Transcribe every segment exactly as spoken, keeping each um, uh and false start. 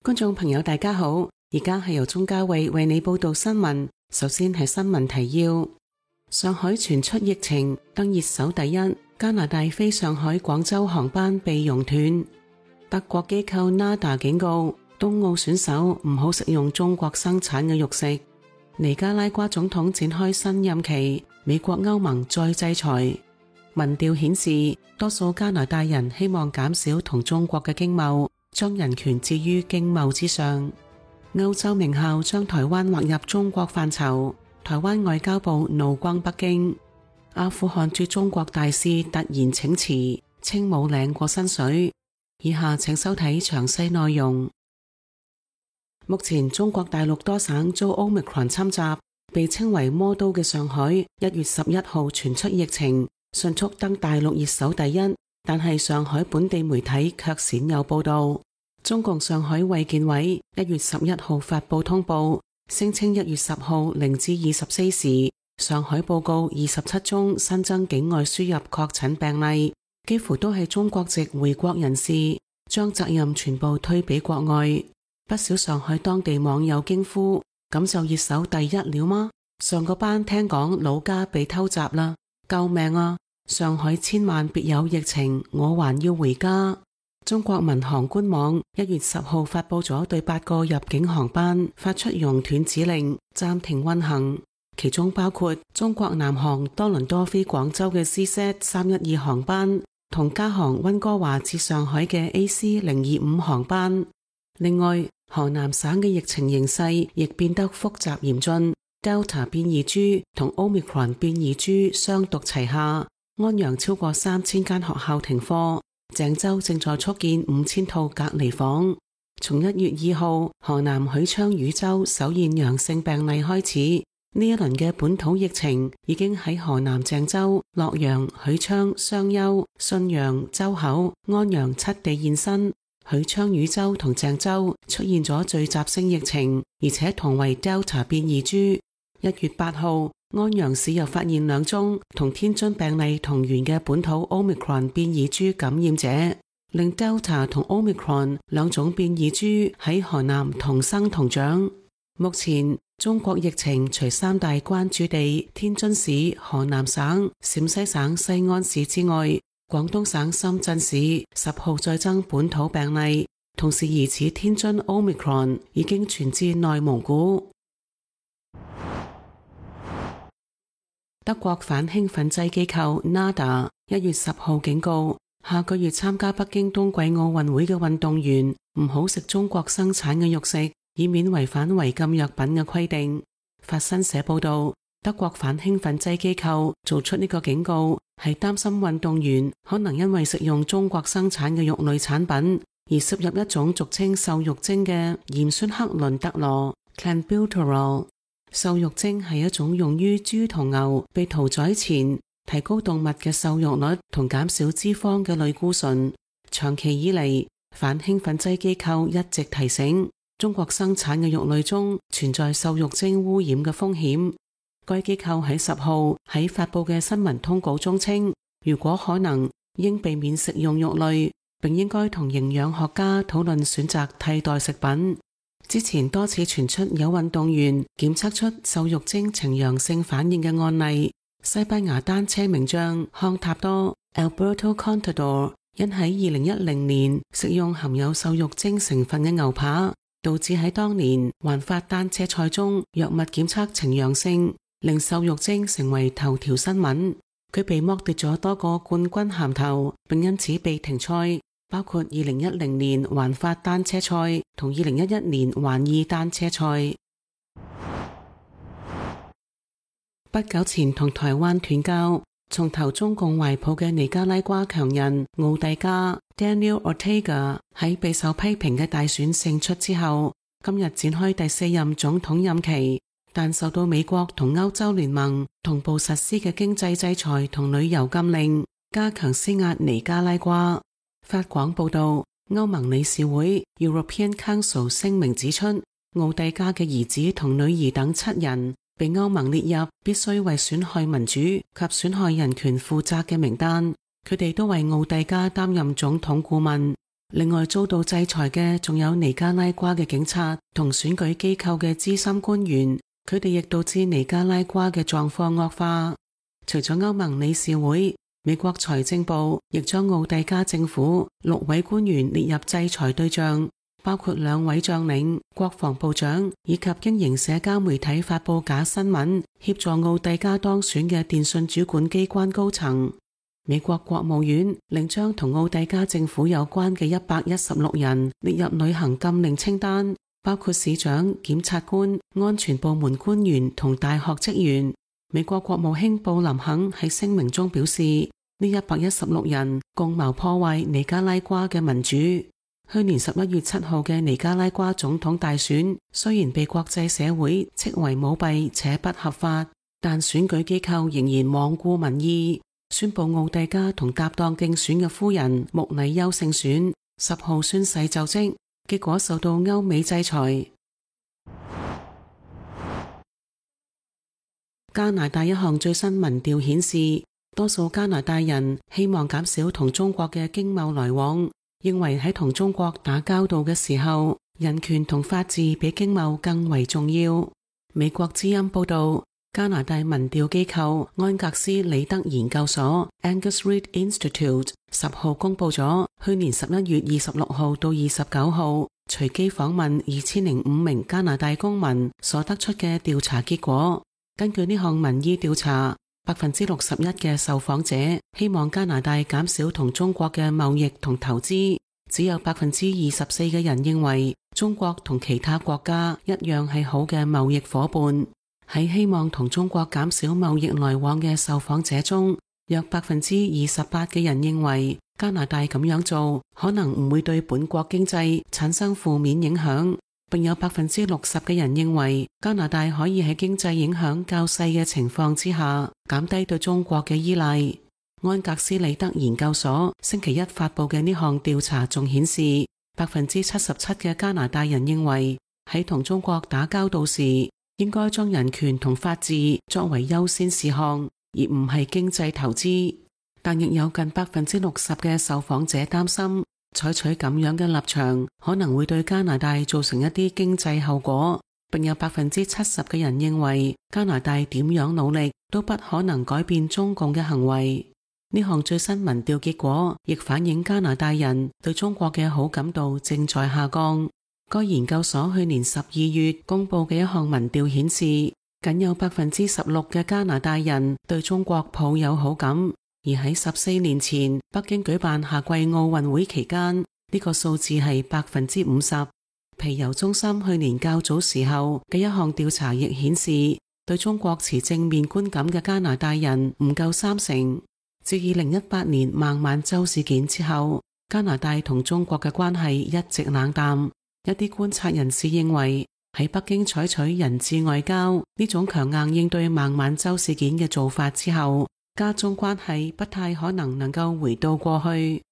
觀眾朋友大家好，而家係由鍾嘉慧為你報道新聞。首先係新聞提要：上海傳出疫情，登熱搜第一。加拿大飛上海、廣州航班被熔斷。德國機構 N A D A 警告冬奧選手唔好食用中國生產嘅肉食。尼加拉瓜總統展開新任期，美國歐盟再制裁。民調顯示，多數加拿大人希望減少同中國嘅經貿，將人權置於經貿之上。歐洲名校將台灣劃入中國範疇，台灣外交部怒轟北京。阿富汗駐中國大使突然請辭，稱冇領過薪水。以下請收睇詳細內容。目前中國大陸多省遭 Omicron 侵襲，被稱為魔都嘅上海一月十一號傳出疫情，迅速登大陸熱搜第一。但係上海本地媒體卻鮮有報道。中共上海衛健委一月十一號發布通報，聲稱一月十號零至二十四時，上海報告二十七宗新增境外輸入確診病例，幾乎都係中國籍回國人士，將責任全部推俾國外。不少上海當地網友驚呼：咁就熱搜第一了嗎？上個班聽講老家被偷襲啦，救命啊！上海千萬別有疫情，我還要回家。中國民航官網一月十號發布咗對八個入境航班發出熔斷指令，暫停運行，其中包括中國南航多倫多飛廣州嘅 C Z 三一二航班，同加航溫哥華至上海嘅 A C 零二五航班。另外，河南省嘅疫情形勢亦變得複雜嚴峻 ，Delta 變異株同 Omicron 變異株雙毒齊下，安陽超過三千間學校停課。鄭州正在速建五千套隔離房。從一月二號河南許昌禹州首現陽性病例開始，呢一輪嘅本土疫情已經喺河南鄭州、洛陽、許昌、商丘、信陽、周口、安陽七地現身。許昌禹州同鄭州出現咗聚集性疫情，而且同為 Delta 變異株。一月八號安陽市又發現兩宗同天津病例同源嘅本土 Omicron 變異株感染者，令 Delta 同 Omicron 兩種變異株喺河南同生同長。目前中國疫情除三大關注地天津市、河南省、陝西省西安市之外，廣東省深圳市十號再增本土病例，同時疑似天津 Omicron 已經傳至內蒙古。德國反興奮劑機構 N A D A 一月十號警告，下個月參加北京冬季奧運會嘅運動員唔好食中國生產嘅肉食，以免違反違禁藥品嘅規定。法新社報道，德國反興奮劑機構做出呢個警告，係擔心運動員可能因為食用中國生產嘅肉類產品，而攝入一種俗稱瘦肉精嘅鹽酸克倫特羅 Clenbuterol。瘦肉精係一種用於豬同牛被屠宰前提高動物嘅瘦肉率同減少脂肪嘅類固醇。長期以嚟，反興奮劑機構一直提醒中國生產嘅肉類中存在瘦肉精污染嘅風險。該機構喺十號喺發佈嘅新聞通告中稱，如果可能，應避免食用肉類，並應該同營養學家討論選擇替代食品。之前多次傳出有運動員檢測出瘦肉精呈陽性反應嘅案例。西班牙單車名將康塔多 Alberto Contador 因喺二零一零年食用含有瘦肉精成分嘅牛扒，導致喺當年環法單車賽中藥物檢測呈陽性，令瘦肉精成為頭條新聞。佢被剝奪咗多個冠軍銜頭，並因此被停賽，包括二零一零年環法單車賽同二零一一年環意單車賽。不久前同台灣斷交，從投中共懷抱嘅尼加拉瓜強人奧蒂加 Daniel Ortega 喺備受批評嘅大選勝出之後，今日展開第四任總統任期，但受到美國同歐洲聯盟同步實施嘅經濟制裁同旅遊禁令，加強施壓尼加拉瓜。法廣報道，歐盟理事會 European Council 聲明指出，奧蒂加嘅兒子同女兒等七人被歐盟列入必須為損害民主及損害人權負責嘅名單，佢哋都為奧蒂加擔任總統顧問。另外遭到制裁嘅仲有尼加拉瓜嘅警察同選舉機構嘅資深官員，佢哋亦導致尼加拉瓜嘅狀況惡化。除咗歐盟理事會，美國財政部亦將奧蒂加政府六位官員列入制裁對象，包括兩位將領、國防部長以及經營社交媒體發佈假新聞協助奧蒂加當選嘅電信主管機關高層。美國國務院另將同奧蒂加政府有關嘅一百一十六人列入旅行禁令清單，包括市長、檢察官、安全部門官員同大學職員。美國國務卿布林肯喺聲明中表示，呢一百一十六人共謀破壞尼加拉瓜嘅民主。去年十一月七號嘅尼加拉瓜總統大選雖然被國際社會斥為舞弊且不合法，但選舉機構仍然罔顧民意，宣布奧蒂加同搭檔競選嘅夫人穆麗優勝選，十號宣誓就職，結果受到歐美制裁。加拿大一項最新民調顯示，多數加拿大人希望減少同中國嘅經貿來往，認為喺同中國打交道嘅時候，人權同法治比經貿更為重要。美國之音報道，加拿大民調機構安格斯里德研究所 Angus Reid Institute 十號公佈咗去年十一月二十六號到二十九號隨機訪問二千零五名加拿大公民所得出嘅調查結果。根據呢項民意調查，百分之六十一嘅受訪者希望加拿大減少同中國嘅貿易同投資，只有百分之二十四嘅人認為中國同其他國家一樣係好嘅貿易夥伴。喺希望同中國減少貿易來往嘅受訪者中，約百分之二十八嘅人認為加拿大咁樣做可能唔會對本國經濟產生負面影響，並有百分之六十嘅人認為加拿大可以喺經濟影響較細嘅情況之下減低對中國嘅依賴。安格斯里德研究所星期一發佈嘅呢項調查仲顯示，百分之七十七嘅加拿大人認為喺同中國打交道時應該將人權同法治作為優先事項，而唔係經濟投資。但亦有近百分之六十嘅受訪者擔心，採取咁樣嘅立場可能會對加拿大造成一啲經濟後果，並有百分之七十嘅人認為加拿大點樣努力都不可能改變中共嘅行為。呢項最新民調結果亦反映加拿大人對中國嘅好感度正在下降。該研究所去年十二月公布嘅一項民調顯示，僅有百分之十六嘅加拿大人對中國抱有好感，而喺十四年前北京舉辦夏季奧運會期間，呢個數字係百分之五十。皮尤中心去年較早時候嘅一項調查亦顯示，對中國持正面觀感嘅加拿大人唔夠三成。自二零一八年孟晚舟事件之後，加拿大同中國嘅關係一直冷淡。一啲觀察人士認為，喺北京採取人質外交呢種強硬應對孟晚舟事件嘅做法之後，加中關係不太可能能夠回到過去。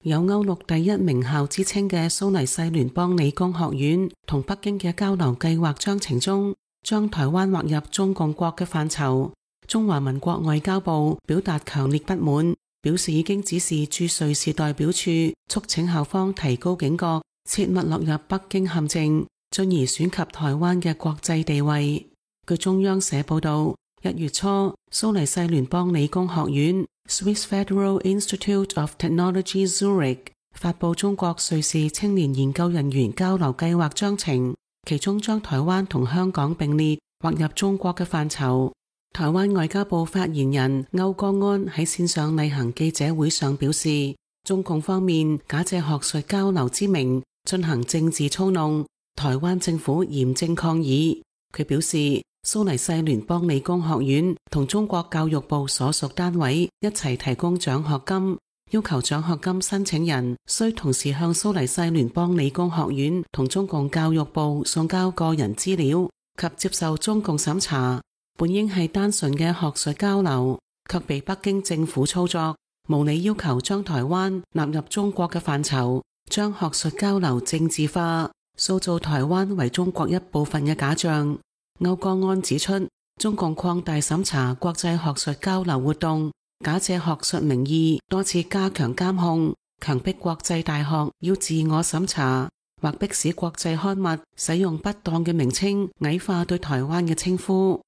有歐陸第一名校之稱嘅蘇黎世聯邦理工學院同北京嘅交流計劃章程中，將台灣劃入中共國嘅範疇。中華民國外交部表達強烈不滿，表示已經指示駐瑞士代表處促請校方提高警覺，切勿落入北京陷阱，進而損及台灣嘅國際地位。據中央社報道，一月初，蘇黎世聯邦理工學院 Swiss Federal Institute of Technology Zurich 發佈中國瑞士青年研究人員交流計劃章程，其中將台灣同香港並列劃入中國嘅範疇。台灣外交部發言人歐江安喺線上例行記者會上表示，中共方面假借學術交流之名進行政治操弄，台灣政府嚴正抗議。佢表示，蘇黎世聯邦理工學院同中國教育部所屬單位一齊提供獎學金，要求獎學金申請人需同時向蘇黎世聯邦理工學院同中共教育部送交個人資料及接受中共審查。本應係單純嘅學術交流，卻被北京政府操作，無理要求將台灣納入中國嘅範疇，將學術交流政治化，塑造台灣為中國一部分嘅假象。歐江安指出，中共擴大審查國際學術交流活動，假借學術名義多次加強監控，強迫國際大學要自我審查，或迫使國際刊物使用不當嘅名稱矮化對台灣嘅稱呼。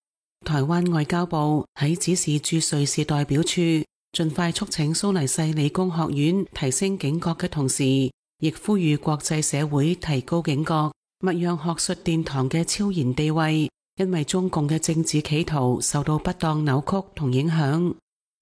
台灣外交部喺指示駐瑞士代表處盡快促請蘇黎世理工學院提升警覺嘅同時，亦呼籲國際社會提高警覺，勿讓學術殿堂嘅超然地位因為中共嘅政治企圖受到不當扭曲同影響。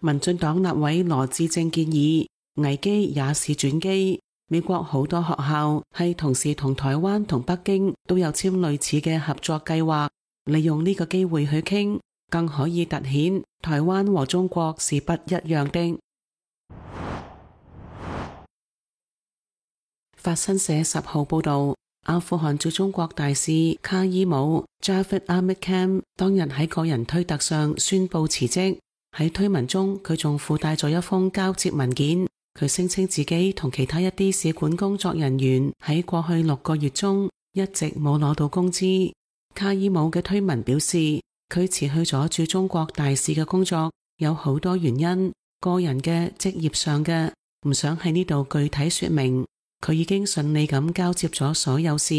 民進黨立委羅致政建議，危機也是轉機。美國好多學校係同時同台灣同北京都有簽類似嘅合作計劃，利用呢個機會去傾，更可以凸顯台灣和中國是不一樣的。法新社十號報道，阿富汗駐中國大使卡伊姆 Javed Ahmad Khan 當日喺個人推特上宣布辭職。喺推文中，佢仲附帶咗一封交接文件。佢聲稱自己同其他一啲使館工作人員喺過去六個月中一直冇攞到工資。卡爾姆嘅推文表示，佢辭去咗駐中國大使嘅工作，有好多原因，個人嘅、職業上嘅，唔想喺呢度具體說明。佢已經順利咁交接咗所有事。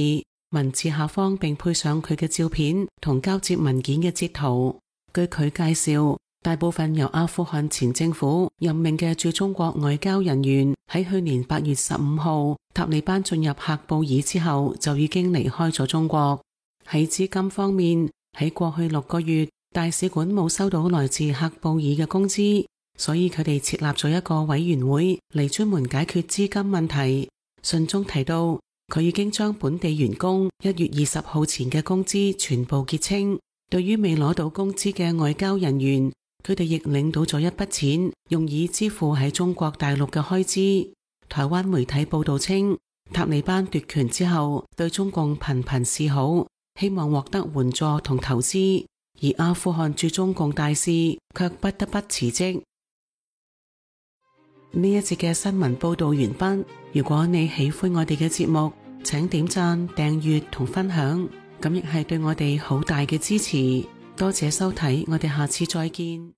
文字下方並配上佢嘅照片同交接文件嘅截圖。據佢介紹，大部分由阿富汗前政府任命嘅駐中國外交人員喺去年八月十五號塔利班進入喀布爾之後就已經離開咗中國。喺資金方面，喺過去六個月大使館冇收到來自喀布爾嘅工資，所以佢哋設立咗一個委員會嚟專門解決資金問題。信中提到，佢已經將本地員工一月二十號前嘅工資全部結清。對於未攞到工資嘅外交人員，佢哋亦領到咗一筆錢，用以支付喺中國大陸嘅開支。台灣媒體報道稱，塔利班奪權之後對中共頻頻示好，希望獲得援助同投資，而阿富汗駐中共大使卻不得不辭職。呢一節嘅新聞報道完畢。如果你喜歡我哋嘅節目，請點讚、訂閱同分享，咁亦係對我哋好大嘅支持。多謝收睇，我哋下次再見。